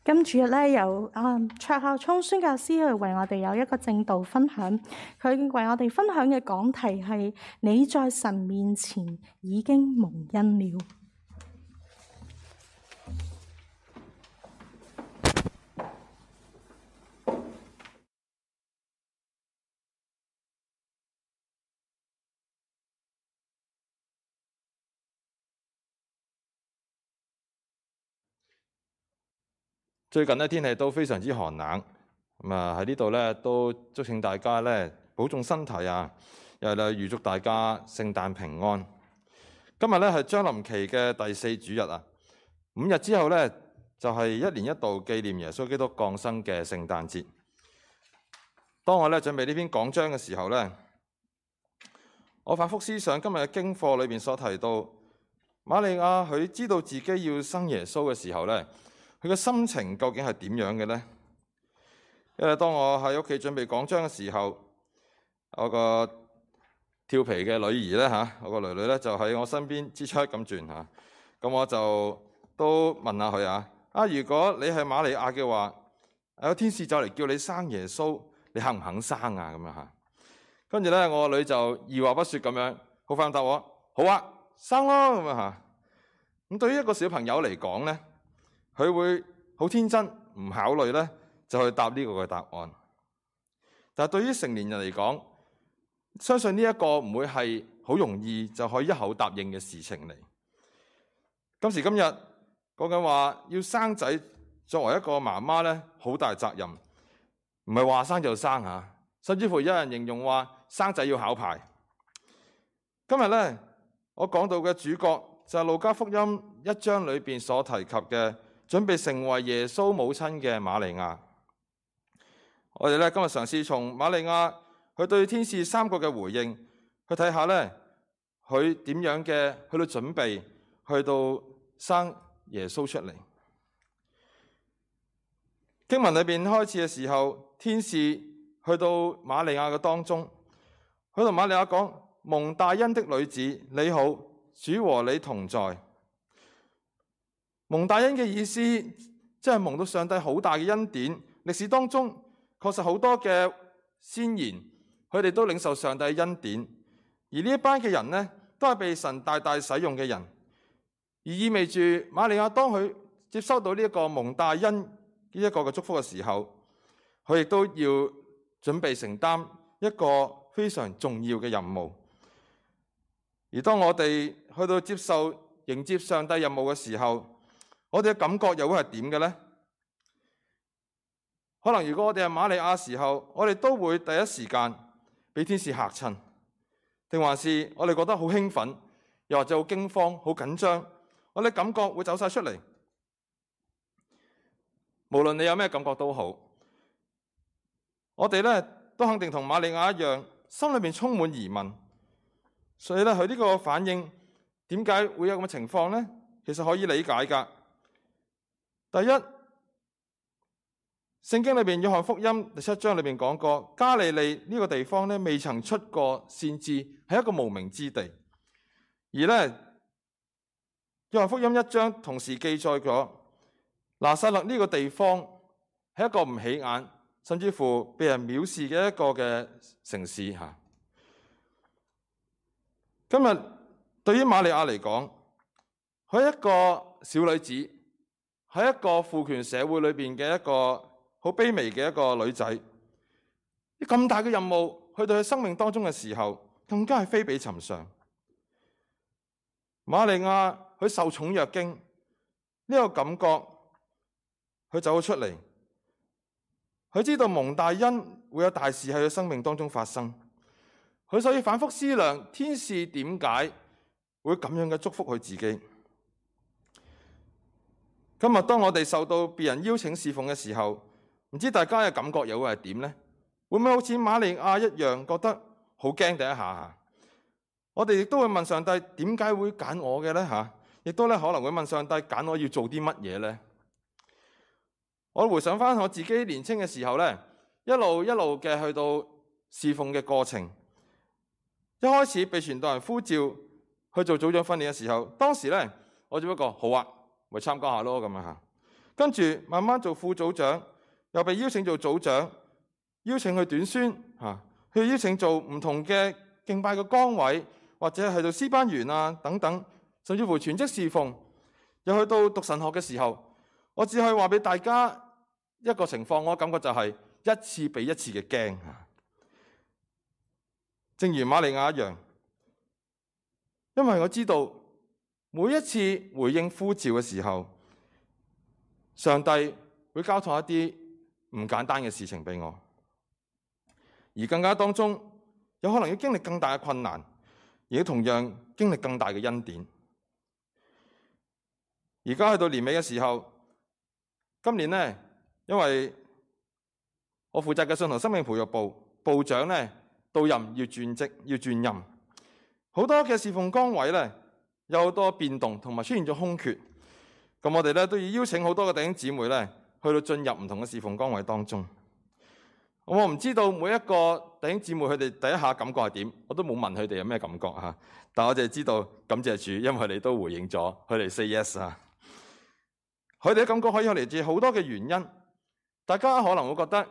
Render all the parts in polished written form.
今主日咧，由卓孝聰宣教師去為我哋有一個正道分享，佢為我哋分享嘅講題係你在神面前已經蒙恩了。最近咧天氣都非常之寒冷，咁啊喺呢度咧都祝請大家咧保重身體啊，又係預祝大家聖誕平安。今日咧係將臨期嘅第4主日啊，5日之後咧就係1年1度紀念耶穌基督降生嘅聖誕節。當我咧準備呢篇講章嘅時候咧，我反覆思想今日嘅經課裏邊所提到，瑪利亞佢知道自己要生耶穌嘅時候咧，佢嘅心情究竟係點樣嘅呢？因為當我喺屋企準備講章嘅時候，我個調皮嘅女兒咧我個女女咧就喺我身邊支出咁轉嚇，咁我就都問下佢如果你係瑪利亞嘅話，有天使就嚟叫你生耶穌，你肯唔肯生啊？咁樣嚇，跟住咧我個女就二話不說咁樣，好快咁答我，好啊，生咯咁樣嚇。咁對於一個小朋友嚟講咧，佢會好天真，唔考慮咧就去答呢個嘅答案。但係對於成年人嚟講，相信呢一個唔會係好容易就可以一口答應嘅事情嚟。今時今日講緊話要生仔，作為一個媽媽咧，好大責任，唔係話生就生嚇，甚至乎有人形容話生仔要考牌。今日咧我講到嘅主角就係路加福音1章裏邊所提及嘅，準備成為耶穌母親嘅瑪利亞。我哋咧今日嘗試從瑪利亞佢對天使3個嘅回應，去睇下咧佢點樣嘅去到準備，去到生耶穌出嚟。經文裏邊開始嘅時候，天使去到瑪利亞嘅當中，佢同瑪利亞講：蒙大恩的女子，你好，主和你同在。蒙大恩嘅意思，即係蒙到上帝好大嘅恩典。歷史當中確實好多嘅先賢，佢哋都領受上帝嘅恩典，而呢一班嘅人呢，都係被神大大使用嘅人，而意味住瑪利亞當佢接收到呢一個蒙大恩呢一個嘅祝福嘅時候，佢亦都要準備承擔一個非常重要嘅任務。而當我哋去到迎接上帝任務嘅時候，我哋嘅感覺又會係點嘅呢？可能如果我哋係瑪利亞時候，我哋都會第一時間俾天使嚇親，定還是我哋覺得好興奮，又或者好驚慌、好緊張，我哋感覺會走晒出嚟。無論你有咩感覺都好，我哋咧都肯定同瑪利亞一樣，心裏面充滿疑問。所以咧，佢呢個反應點解會有咁嘅情況呢？其實可以理解㗎。第一，聖經裏邊約翰福音第7章裏邊講過，加利利呢個地方咧未曾出過先知，係一個無名之地。而咧約翰福音1章同時記載咗拿撒勒呢個地方係一個唔起眼，甚至乎被人藐視嘅一個嘅城市嚇。今日對於瑪利亞嚟講，佢係一個小女子，喺一個父權社會裏邊嘅一個好卑微嘅一個女仔，咁大嘅任務去到佢生命當中嘅時候，更加係非比尋常。瑪利亞佢受寵若驚，呢個感覺佢走咗出嚟，佢知道蒙大恩會有大事喺佢生命當中發生，佢所以反覆思量天使點解會咁樣嘅祝福佢自己。今日當我哋受到別人邀請侍奉嘅時候，唔知大家嘅感覺又會係點呢？會唔會好似瑪利亞一樣覺得好驚第一下？我哋亦都會問上帝點解會揀我嘅呢？亦都可能會問上帝揀我要做啲乜嘢呢？我回想翻我自己年輕嘅時候呢，一路嘅去到侍奉嘅過程，一開始被傳道人呼召去做組長訓練嘅時候，當時呢，我只不過好啊，咪參加下咯咁樣嚇。跟住慢慢做副組長，又被邀請做組長，邀請去短宣去邀請做唔同嘅敬拜嘅崗位，或者係做詩班員啊等等，甚至乎全職侍奉。又去到讀神學嘅時候，我只可以話俾大家一個情況，我感覺就係一次比一次嘅驚。正如瑪利亞一樣，因為我知道每一次回應呼召嘅時候，上帝會交託一啲唔簡單嘅事情俾我，而更加當中有可能要經歷更大嘅困難，而同樣經歷更大嘅恩典。而家去到年尾嘅時候，今年呢，因為我負責嘅信徒生命培育部部長呢到任要轉職要轉任，好多嘅侍奉崗位呢有好多變動，同埋出現咗空缺。咁我哋呢都要邀請好多嘅弟兄姊妹呢去到進入唔同嘅侍奉崗位當中。我唔知道每一個弟兄姊妹佢哋第一下感覺係點，我都冇問佢哋有咩感覺嚇。但我淨係知道感謝主，因為佢哋都回應咗，佢哋 say yes 啊。佢哋嘅感覺可以嚟自好多嘅原因。大家可能會覺得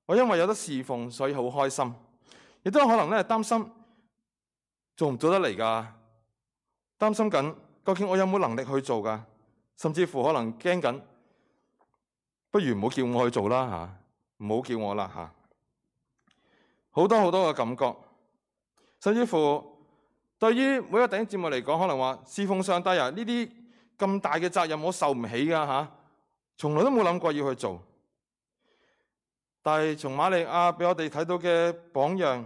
我因為有得侍奉，所以好開心，亦都可能咧擔心做唔做得嚟㗎，擔心緊究竟我有冇能力去做㗎，甚至乎可能驚緊，不如唔好叫我去做啦嚇，唔好叫我啦嚇。好多好多嘅感覺，甚至乎對於每個弟兄姊妹嚟講，可能話侍奉上帝啊，呢啲咁大嘅責任我受唔起㗎嚇，從來都冇諗過要去做。但係從瑪利亞俾我哋睇到嘅榜樣，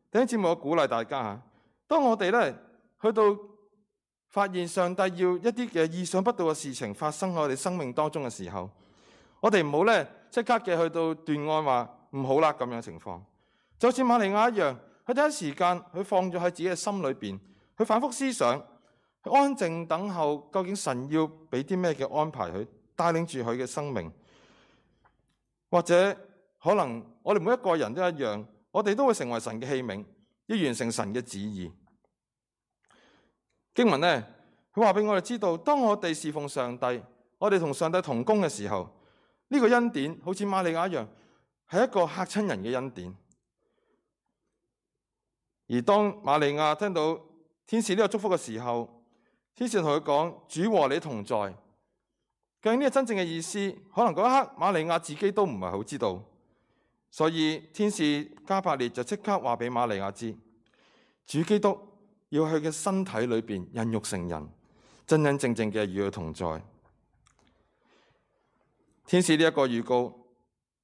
弟兄姊妹，我鼓勵大家嚇，當我哋咧去到發現上帝要一啲嘅意想不到嘅事情發生喺我哋生命當中嘅時候，我哋唔好咧即刻嘅去到斷案話唔好啦咁樣嘅情況。就好似瑪利亞一樣，佢第一時間佢放咗喺自己嘅心裏邊，佢反覆思想，佢安靜等候究竟神要俾啲咩嘅安排佢，帶領住佢嘅生命。或者可能我哋每一個人都一樣，我哋都會成為神嘅器皿，要完成神嘅旨意。經文呢，佢話俾我哋知道，當我哋侍奉上帝，我哋同上帝同工嘅時候，呢個恩典好似瑪利亞一樣，係一個嚇親人嘅恩典。而當瑪利亞聽到天使呢個祝福嘅時候，天使同佢講：主和你同在。究竟呢個真正嘅意思，可能嗰一刻瑪利亞自己都唔係好知道。所以天使加百列就即刻話俾瑪利亞知，主基督要喺佢嘅身體裏邊孕育成人，真真正正嘅與佢同在。天使呢一個預告，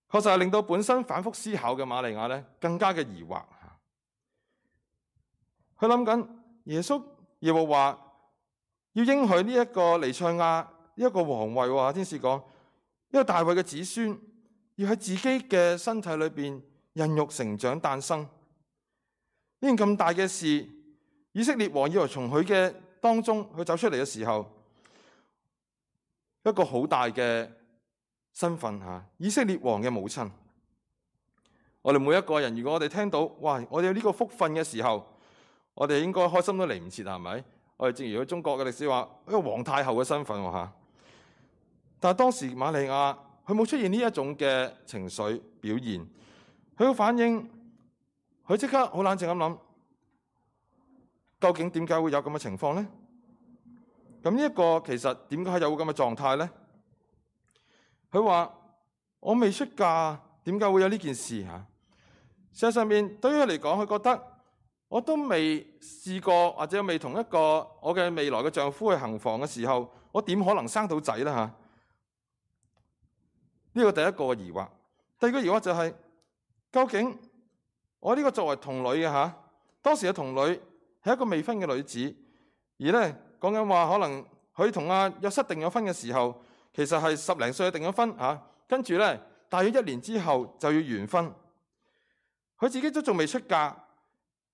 確實係令到本身反覆思考嘅瑪利亞更加嘅疑惑。佢諗緊耶穌耶和華要應許呢一個彌賽亞呢一個皇位，天使講一個大衛嘅子孫要喺自己嘅身體裏邊孕育成長誕生。呢件咁大嘅事，以色列王以為從佢嘅當中去走出嚟嘅時候，一個好大嘅身份以色列王嘅母親。我哋每一個人，如果我哋聽到哇，我哋有呢個福分嘅時候，我哋應該開心都嚟唔切，係咪？我哋正如中國嘅歷史話，一個皇太后嘅身份嚇。但係當時瑪利亞佢冇出現呢一種嘅情緒表現，佢嘅反應，佢即刻好冷靜咁諗，究竟點解會有咁嘅情況呢？咁呢一個其實點解有咁嘅狀態呢？佢話：我未出嫁，點解會有呢件事嚇？事實上面對於佢嚟講，佢覺得我都未試過，或者未同一個我嘅未來嘅丈夫去行房嘅時候，我點可能生到仔呢？嚇？呢個第一個疑惑。第二個疑惑就係，究竟我呢個作為童女嘅當時嘅童女係一個未婚嘅女子，而呢講緊話可能佢同阿約瑟訂咗婚嘅時候，其實係10零歲訂咗婚跟住呢大約1年之後就要完婚，佢自己都仲未出嫁。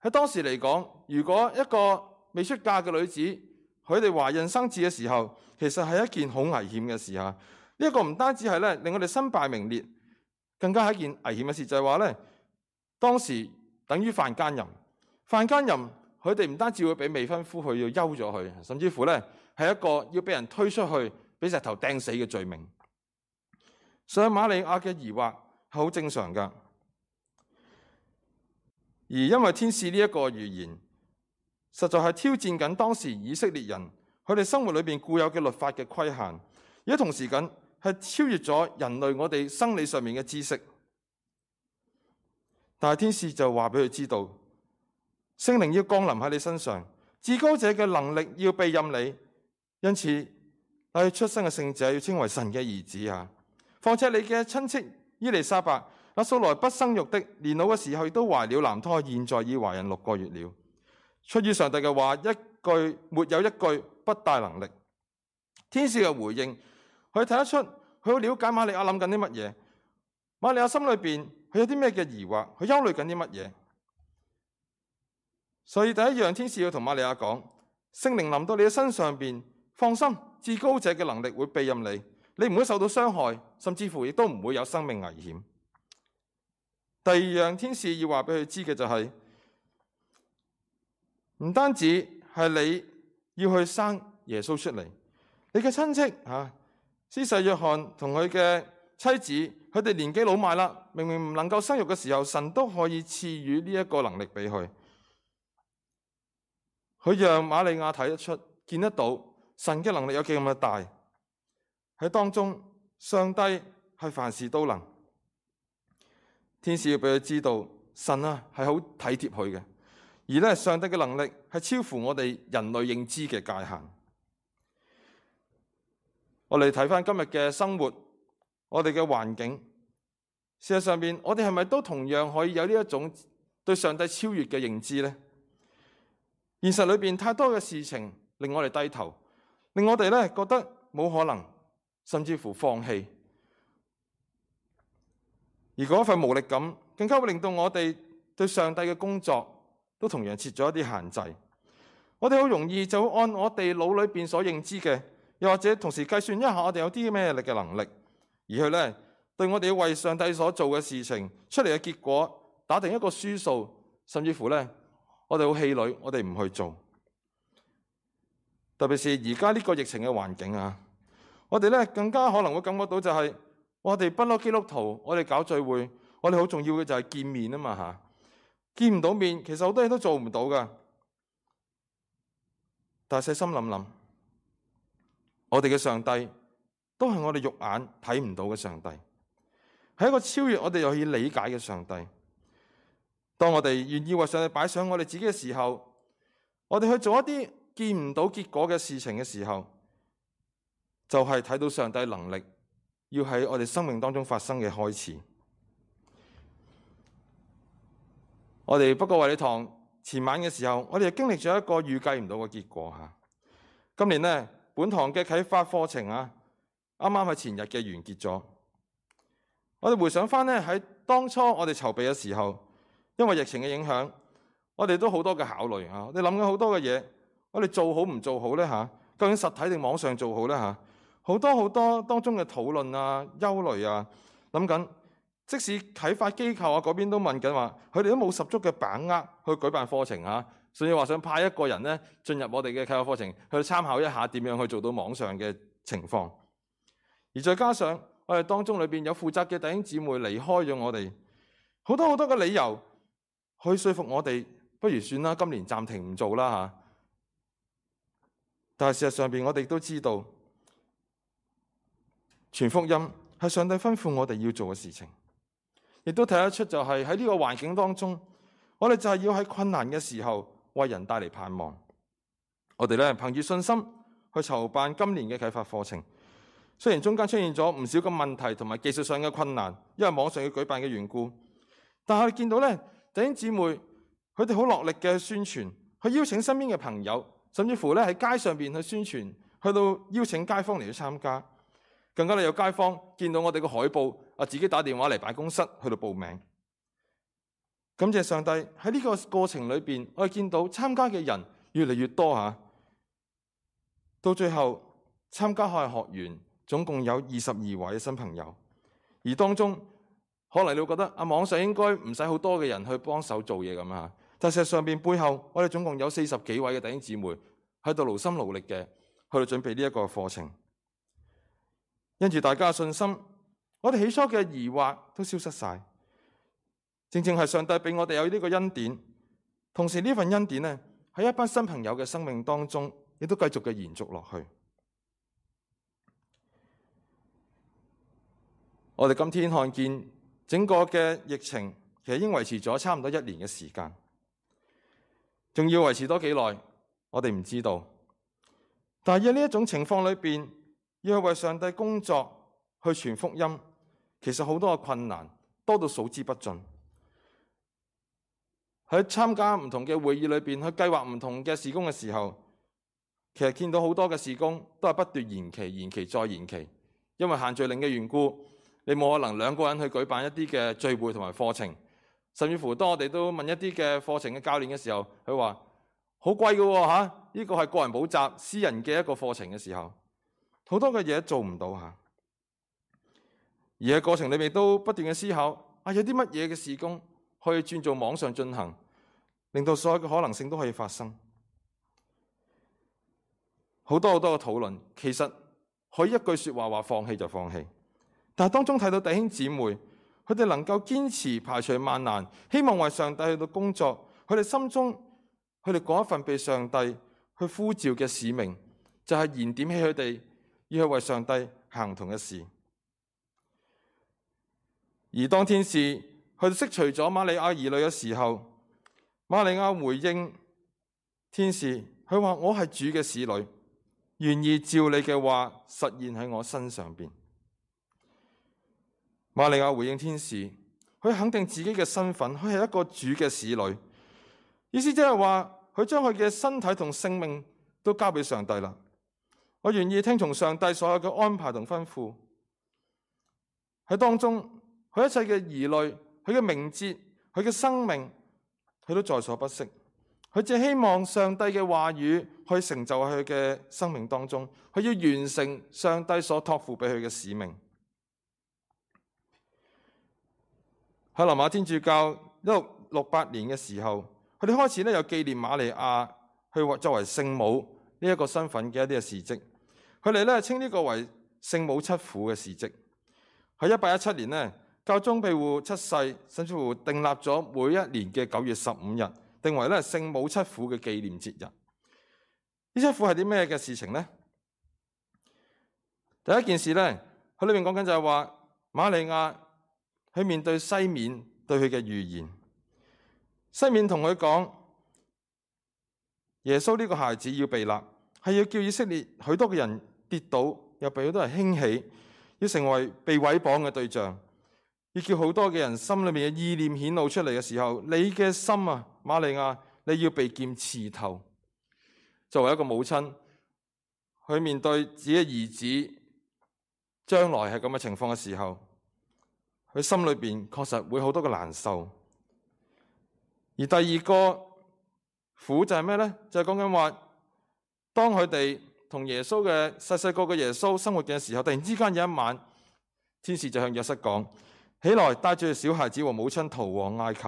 喺當時嚟講，如果一個未出嫁嘅女子，佢哋懷孕生子嘅時候，其實係一件好危險嘅事呢一個唔單止係令我哋身敗名裂，更加係一件危險嘅事，就係話當時等於犯奸淫。犯奸淫，佢哋唔單止會俾未婚夫去要休咗佢，甚至乎係一個要俾人推出去，俾石頭掟死嘅罪名。上瑪利亞嘅疑惑係好正常噶。而因為天使呢一個預言，實在係挑戰緊當時以色列人佢哋生活裏邊固有嘅律法嘅規限，而同時緊係超越咗人類我哋生理上面嘅知識。但係天使就話俾佢知道，聖靈要降臨喺你身上，至高者嘅能力要庇蔭你，因此你出生嘅聖者要稱為神嘅兒子啊！況且你嘅親戚伊麗莎白，那素來不生育的，年老嘅時候亦都懷了男胎，現在已懷孕6個月了。出於上帝嘅話，一句沒有一句不帶能力。天使嘅回應，佢睇得出，佢好了解瑪利亞諗緊啲乜嘢。瑪利亞心裏邊佢有啲咩嘅疑惑，佢憂慮緊啲乜嘢。所以第一樣，天使要同瑪利亞講，聖靈臨到你嘅身上邊，放心，至高者嘅能力會庇蔭你，你唔會受到傷害，甚至乎亦都唔會有生命危險。第二樣，天使要話俾佢知嘅就係，唔單止係你要去生耶穌出嚟，你嘅親戚施洗約翰同佢嘅妻子，佢哋年紀老邁啦，明明唔能夠生育嘅時候，神都可以賜予呢一個能力俾佢。佢讓瑪利亞睇得出、見得到神嘅能力有幾咁嘅大。喺當中，上帝係凡事都能。天使要俾佢知道，神係好體貼佢嘅，而咧上帝嘅能力係超乎我哋人類認知嘅界限。我哋睇翻今日嘅生活，我哋嘅環境，事實上邊，我哋係咪都同樣可以有呢一種對上帝超越嘅認知呢？現實裏邊太多嘅事情令我哋低頭，令我哋咧覺得冇可能，甚至乎放棄。而嗰份無力感，更加會令到我哋對上帝嘅工作都同樣設咗一啲限制。我哋好容易就會按我哋腦裏邊所認知嘅，又或者同時計算一下我哋有啲咩嘅能力，而去咧對我哋要為上帝所做嘅事情出嚟嘅結果打定一個輸數，甚至乎咧我哋好氣餒，我哋唔去做。特別是而家呢個疫情嘅環境我哋咧更加可能會感覺到就係，我哋不嬲基督徒，我哋搞聚會，我哋好重要嘅就係見面嘛見唔到面，其實好多嘢都做唔到噶。但係細心諗諗，我哋嘅上帝都係我哋肉眼睇唔到嘅上帝，係一個超越我哋又可以理解嘅上帝。當我哋願意為上帝擺上我哋自己嘅時候，我哋去做一啲見唔到結果嘅事情嘅時候，就係睇到上帝能力要喺我哋生命當中發生嘅開始。我哋不過衛理堂前晚嘅時候，我哋經歷咗一個預計唔到嘅結果今年呢，本堂嘅啟發課程啱啱喺前日嘅完結咗。我哋回想翻呢，喺當初我哋籌備嘅時候，因為疫情嘅影響，我哋都好多嘅考慮我哋諗緊好多嘅嘢，我哋做好唔做好呢究竟實體定網上做好呢好多當中嘅討論憂慮諗緊。即使啟發機構嗰邊都問緊話，佢哋都冇十足嘅把握去舉辦課程甚至話想派一個人呢進入我哋嘅啟發課程去參考一下點樣去做到網上嘅情況。而再加上我哋當中裏邊有負責嘅弟兄姊妹離開咗我哋，好多嘅理由去說服我哋，不如算啦，今年暫停唔做啦但係事實上邊我哋都知道，傳福音係上帝吩咐我哋要做嘅事情。亦都睇得出，就係喺呢個環境當中，我哋就係要喺困難嘅時候為人帶嚟盼望。我哋咧憑住信心去籌辦今年嘅啟發課程，雖然中間出現咗唔少嘅問題同埋技術上嘅困難，因為網上要舉辦嘅緣故，但係我哋見到咧弟兄姊妹佢哋好落力嘅宣傳，去邀請身邊嘅朋友，甚至乎咧喺街上邊去宣傳，去到邀請街坊嚟去參加。更加有街坊見到我哋個海報，自己打電話嚟辦公室去到報名。感謝上帝喺呢個過程裏邊，我哋見到參加嘅人越嚟越多到最後參加學員總共有22位新朋友，而當中可能你會覺得網上應該唔使好多嘅人去幫手做嘢咁但事實上邊背後我哋總共有40幾位嘅弟兄姊妹喺度勞心勞力嘅去到準備呢一個課程。因住大家嘅信心，我哋起初嘅疑惑都消失晒。正正係上帝俾我哋有呢個恩典，同時呢份恩典呢，喺一班新朋友嘅生命當中，亦都繼續嘅延續落去。我哋今天看見整個嘅疫情，其實已經維持咗差唔多1年嘅時間，仲要維持多幾耐，我哋唔知道。但係喺呢一種情況裏邊，要去為上帝工作，去傳福音，其實好多嘅困難多到數之不盡。喺參加唔同嘅會議裏邊，去計劃唔同嘅事工嘅時候，其實見到好多嘅事工都係不斷延期、延期再延期，因為限聚令嘅緣故，你冇可能2個人去舉辦一啲嘅聚會同埋課程，甚至乎當我哋都問一啲嘅課程嘅教練嘅時候，佢話好貴㗎喎嚇，呢個係個人補習、私人嘅一個課程嘅時候，好多嘅嘢做唔到嚇。而喺過程裏面都不斷嘅思考，有啲乜嘢嘅事工可以轉做網上進行，令到所有嘅可能性都可以發生。好多嘅討論，其實可以一句說話放棄就放棄。但係當中睇到弟兄姊妹，佢哋能夠堅持排除萬難，希望為上帝去到工作，佢哋心中佢哋嗰一份被上帝去呼召嘅使命，就係燃點起佢哋要去為上帝行唔同嘅事。而當天使佢哋釋除咗瑪利亞疑慮嘅時候，瑪利亞回應天使，佢話：我係主嘅使女，願意照你嘅話實現喺我身上邊。瑪利亞回應天使，佢肯定自己嘅身份，佢係一個主嘅使女，意思即係話佢將佢嘅身體同性命都交俾上帝啦。我願意聽從上帝所有嘅安排同吩咐，喺當中佢一切嘅疑慮、佢嘅明哲、佢嘅生命，佢都在所不惜。佢只希望上帝嘅話語去成就喺佢嘅生命當中，佢要完成上帝所託付俾佢嘅使命。喺羅馬天主教1668年嘅時候，佢哋開始有紀念瑪利亞去作為聖母呢一個身份嘅一啲嘅事蹟。佢哋稱呢個為聖母七苦嘅事蹟。喺1817年呢，教宗庇護7世甚至乎訂立咗每一年嘅9月15日，定為聖母七苦嘅紀念節日。呢七苦係啲咩嘅事情呢？第一件事呢，佢裏面講緊就係話瑪利亞去面對西面對佢嘅預言。西面同佢講，耶穌呢個孩子要被立，係要叫以色列許多嘅人跌倒，又被好多人興起，要成為被毀謗嘅對象，要叫好多嘅人心裏面嘅意念顯露出嚟嘅時候，你嘅心啊，瑪利亞，你要被劍刺透。作為一個母親，去面對自己嘅兒子將來係咁嘅情況嘅時候，佢心裏邊確實會好多嘅難受。而第二個苦就係咩呢？就係講緊話，當佢哋同耶穌嘅細個嘅耶穌生活嘅時候，突然之間有一晚，天使就向約瑟講：起來，帶住小孩子和母親逃往埃及，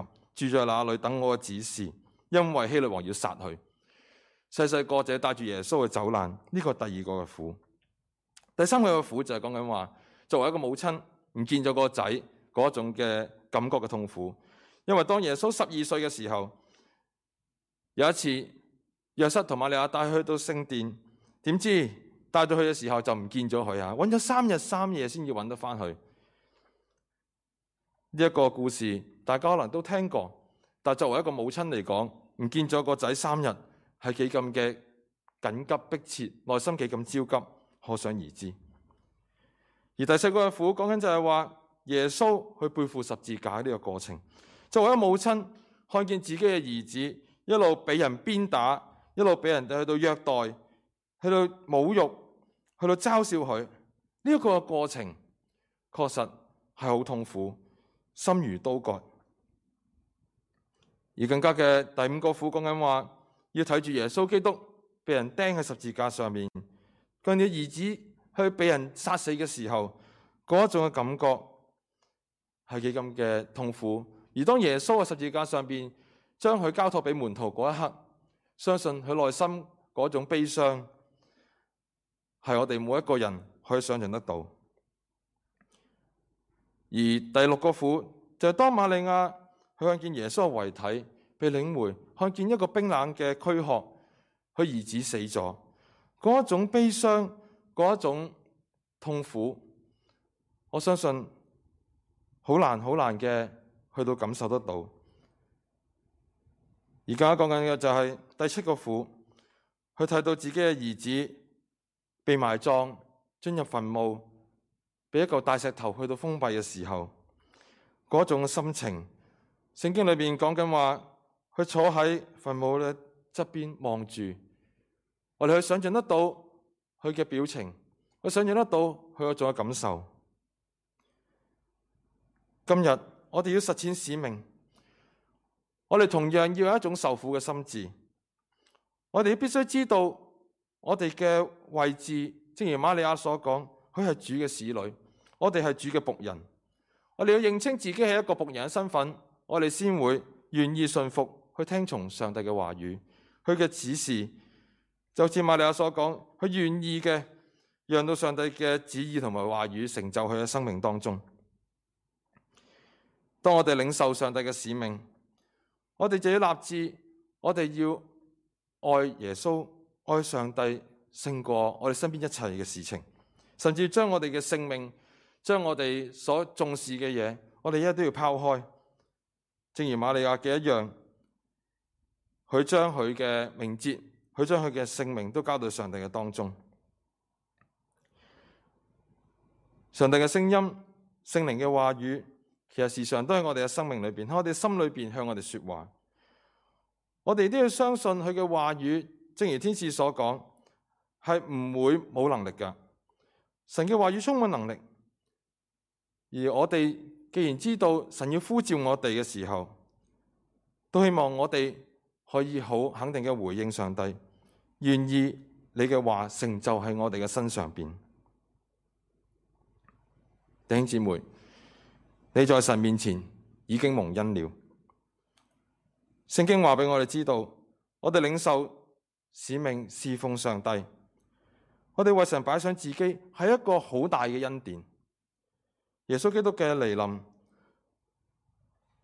住在那裏等我嘅指示，因為希律王要殺佢。細個就帶住耶穌去走難，呢個係第二個嘅苦。第三個嘅苦就係講緊話，作為一個母親唔見咗個仔嗰種嘅感覺嘅痛苦。因為當耶穌12歲嘅時候，有一次約瑟同瑪利亞帶佢去到聖殿，點知帶到去嘅時候就唔見咗佢啊！揾咗3日3夜先要揾得翻去。呢一個故事大家可能都聽過，但作為一個母親嚟講，唔見咗個仔3日係幾咁嘅緊急迫切，內心幾咁焦急，可想而知。而第四個嘅苦講緊就係話耶穌去背負十字架呢個過程。作為一個母親，看見自己嘅兒子一路俾人鞭打，一路俾人哋去到虐待，去到侮辱，去到嘲笑佢，呢一個過程確實係好痛苦，心如刀割。而更加嘅第5個苦講緊話，要睇住耶穌基督被人釘喺十字架上面，佢嘅兒子去被人殺死嘅時候，嗰一種嘅感覺係幾咁嘅痛苦。而當耶穌喺十字架上邊將佢交託俾門徒嗰一刻，相信佢內心嗰種悲傷係我哋每一個人可以想象得到。第六個苦就係當瑪利亞佢看見耶穌嘅遺體被領回，看見一個冰冷嘅軀殼，佢兒子死咗，嗰一種悲傷，嗰一種痛苦，我相信好難嘅去到感受得到。而家講緊嘅就係第七個苦，佢睇到自己嘅兒子被埋葬，進入墳墓，被一嚿大石頭去到封閉嘅時候，嗰種心情，聖經裏邊講緊話，佢坐喺墳墓嘅側邊望住，我哋去想象得到佢嘅表情，我想象得到佢嗰種嘅感受。今日我哋要實踐使命，我哋同樣要有一種受苦嘅心志。我哋必須知道我哋嘅位置，正如瑪利亞所講，佢係主嘅使女，我哋係主嘅僕人。我哋要認清自己係一個僕人嘅身份，我哋先會願意順服去聽從上帝嘅話語，佢嘅指示。就似瑪利亞所講，佢願意嘅讓到上帝嘅旨意同埋話語成就佢嘅生命當中。當我哋領受上帝嘅使命，我哋就要立志，我哋要愛耶穌、愛上帝勝過我哋身邊一切嘅事情，甚至將我哋嘅性命、將我哋所重視嘅嘢，我哋一都要拋開。正如瑪利亞嘅一樣，佢將佢嘅名節，佢將佢嘅性命都交到上帝嘅當中。上帝嘅聲音、聖靈嘅話語，其實時常都喺我哋嘅生命裏邊，喺我哋心裏邊向我哋說話。我哋都要相信佢嘅話語，正如天使所講，係唔會冇能力噶。神嘅話語充滿能力，而我哋既然知道神要呼召我哋嘅時候，都希望我哋可以好肯定嘅回應上帝，願意你嘅話成就喺我哋嘅身上邊。弟兄姊妹，你在神面前已經蒙恩了。聖經話俾我哋知道，我哋領受使命侍奉上帝，我哋為神擺上自己係一個好大嘅恩典。耶穌基督嘅來臨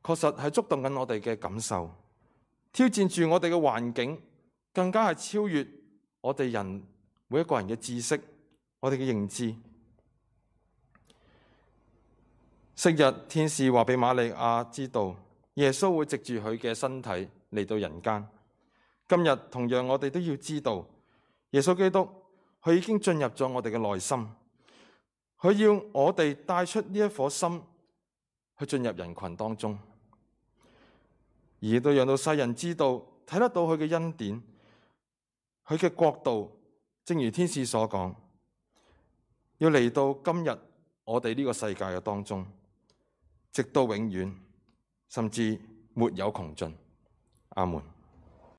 確實係觸動緊我哋嘅感受，挑戰住我哋嘅環境，更加係超越我哋人每一個人嘅知識，我哋嘅認知。昔日天使話俾瑪利亞知道，耶穌會藉住佢嘅身體嚟到人間。今日同樣我哋都要知道，耶穌基督佢已經進入咗我哋嘅內心，佢要我哋帶出呢一顆心去進入人群當中，而都讓到世人知道，睇得到佢嘅恩典，佢嘅國度，正如天使所講，要嚟到今日我哋呢個世界嘅當中，直到永遠，甚至沒有窮盡。阿門。